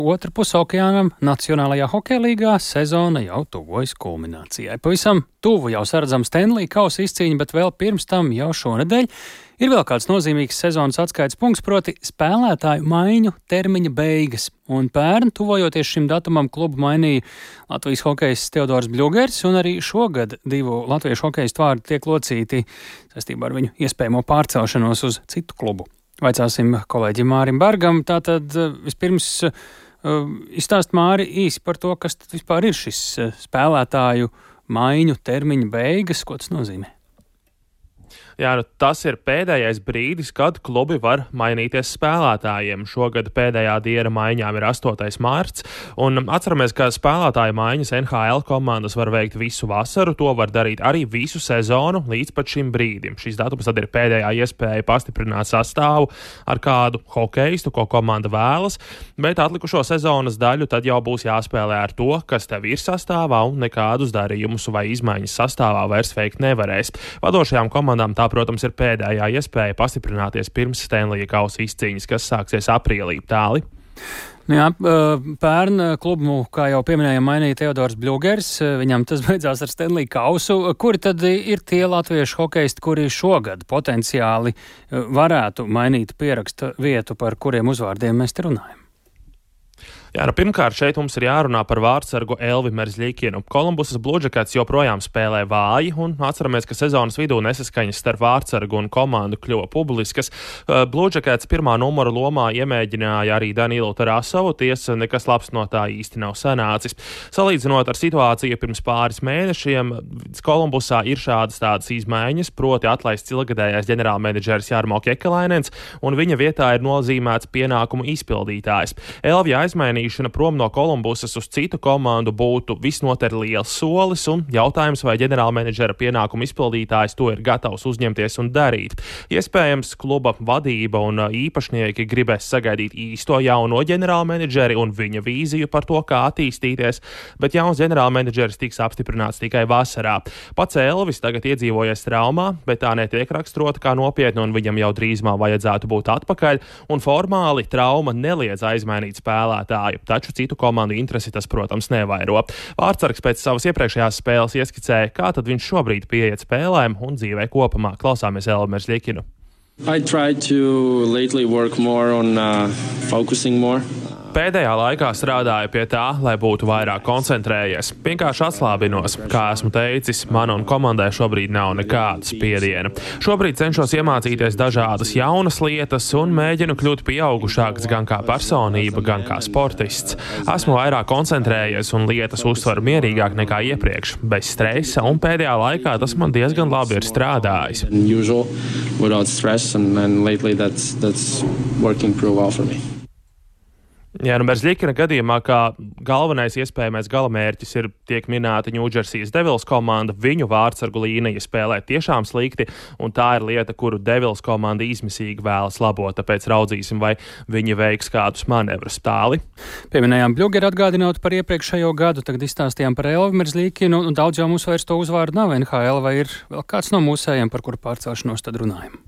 Otra puse okeānam Nacionālajā hokeja līgā sezona jau tuvojas kulminācijai. Pavisam tuvu jau saredzama Stanley kausa izcīņa, bet vēl pirms tam jau šonedēļ ir vēl kāds nozīmīgs sezonas atskaites punkts, proti spēlētāju maiņu termiņa beigas. Un pērn, tuvojoties šim datumam, klubu mainīja Latvijas hokejists Teodors Bļugers, un arī šogad divu latviešu hokejistu vārdi tiek locīti saistībā ar viņu iespējamo pārcelšanos uz citu klubu. Vaicāsim kolēģim Mārim Bergam. Tātad vispirms izstāst, Māri, īsi par to, kas tad vispār ir šis spēlētāju maiņu termiņa beigas, ko tas nozīmē? Jā, tas ir pēdējais brīdis, kad klubi var mainīties spēlētājiem. Šogad pēdējā diena maiņām ir 8. mārts, un atceramies, ka spēlētāju maiņas NHL komandas var veikt visu vasaru, to var darīt arī visu sezonu līdz pat šim brīdim. Šis datums tad ir pēdējā iespēja pastiprināt sastāvu ar kādu hokeistu, ko komanda vēlas, bet atlikušo sezonas daļu tad jau būs jāspēlē ar to, kas tev ir sastāvā, un nekādus darījumus vai izmaiņas sastāvā vairs veikt nevarēs. Vadošajām komandām tā, protams, ir pēdējā iespēja pastiprināties pirms Stanley kausa izcīņas, kas sāksies aprīlī. Tāli. Jā, pērn klubu, kā jau pieminējām, mainīja Teodors Bļugers. Viņam tas beidzās ar Stanley kausu. Kuri tad ir tie latviešu hokeisti, kuri šogad potenciāli varētu mainīt pieraksta vietu, par kuriem uzvārdiem mēs te runājam? Jā, pirmkārt, šeit mums ir jārunā par vārdsargu Elvi Merzļikinu. Kolumbusas Blue Jackets joprojām spēlē vāji, un atceramies, ka sezonas vidū nesaskaņas starp vārdsargu un komandu kļuva publiskas. Blue Jackets pirmā numura lomā iemēģināja arī Danilu Tarasovu, tiesa nekas labs no tā īsti nav sanācis. Salīdzinot ar situāciju pirms pāris mēnešiem, Kolumbusā ir tādas izmaiņas, proti atlaists ilgadējais ģenerālmenedžeris Jarmo Kekalainens, un viņa vietā ir nozīmēts pienākumu izpildītājs. Elvija aizmainīja prom no Kolumbusas uz citu komandu būtu visnotaļ liels solis, un jautājums, vai ģenerālmenedžera pienākumu izpildītājs to ir gatavs uzņemties un darīt. Iespējams, kluba vadība un īpašnieki gribēs sagaidīt īsto jauno ģenerālmenedžeri un viņa vīziju par to, kā attīstīties, bet jauns ģenerālmenedžeris tiks apstiprināts tikai vasarā. Pats Elvis tagad iedzīvojies traumā, bet tā netiek raksturota kā nopietna, un viņam jau drīzumā vajadzētu būt atpakaļ, un formāli trauma neliedz aizmainīt spēlētāju. Taču citu komandu interesi tas, protams, nevairo. Vārdsargs pēc savas iepriekšējās spēles ieskicēja, kā tad viņš šobrīd pieiet spēlēm un dzīvē kopumā. Klausāmies Elvi Merzļikinu. I try to lately work more on focusing more. Pēdējā laikā strādāju pie tā, lai būtu vairāk koncentrējies. Vienkārši atslābinos. Kā esmu teicis, man un komandai šobrīd nav nekāda spiediena. Šobrīd cenšos iemācīties dažādas jaunas lietas un mēģinu kļūt pieaugušāks gan kā personība, gan kā sportists. Esmu vairāk koncentrējies un lietas uztveru mierīgāk nekā iepriekš, bez stresa, un pēdējā laikā tas man diezgan labi ir strādājis. Jā, Merzļikina gadījumā, kā galvenais iespējamais galamērķis ir tiek minēta Ņūdžersijas Devils komanda, viņu vārdsargu līnija spēlē tiešām slikti, un tā ir lieta, kuru Devils komanda izmisīgi vēlas labot, tāpēc raudzīsim, vai viņi veiks kādus manevrus. Tāli. Pieminējām Bļugeru, atgādinot par iepriekšējo gadu, tagad izstāstījām par Elvi Merzļikinu, un daudz jau mums vairs to uzvārdu nav NHL, vai ir vēl kāds no mūsējiem, par kuru pārcelšanos tad runājam?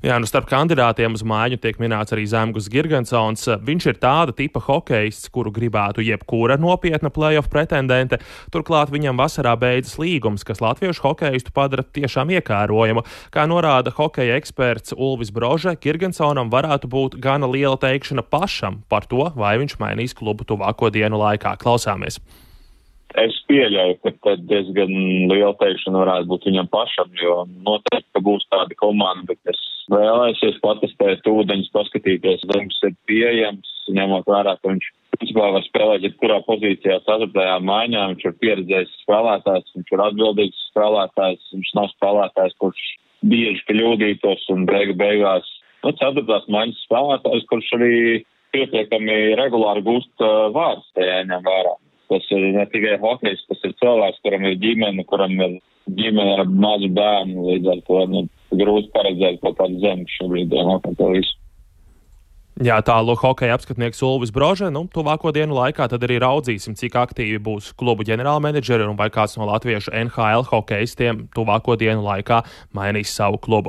Jā, starp kandidātiem uz maiņu tiek minēts arī Zemgus Girgensons. Viņš ir tāda tipa hokeists, kuru gribētu jebkura nopietna playoff pretendente. Turklāt viņam vasarā beidzas līgums, kas latviešu hokeistu padara tiešām iekārojamu. Kā norāda hokeja eksperts Ulvis Brože, Girgensonam varētu būt gana liela teikšana pašam par to, vai viņš mainīs klubu tuvāko dienu laikā. Klausāmies. Es pieļauju, ka tad diezgan liela teikšana varētu būt viņam pašam, jo noteikti, ka būs tāda komanda, kas vēlēsies patestēt ūdeņus, paskatīties, Zemgus ir pieejams, ņemot vērā, ka viņš principā var spēlēt jebkurā pozīcijā 4. maiņā, viņš ir pieredzējis spēlētājs, viņš ir atbildīgs spēlētājs, viņš nav spēlētājs, kurš bieži kļūdītos un beigās 4. maiņas spēlētājs, kurš arī pietiekami regulāri gūst vārdus, tajā ņem vērā. Tas ir ne tikai hokejs, tas ir cilvēks, kuram ir ģimene, ar mazu bērnu, līdz ar to grūti paredzēt kaut kādu zemi šobrīd par to visu. Jā, tālūk hokeja apskatnieks Ulvis Brože. Tuvāko dienu laikā tad arī raudzīsim, cik aktīvi būs klubu ģenerālmenedžeri un vai kāds no latviešu NHL hokeistiem tuvāko dienu laikā mainīs savu klubu.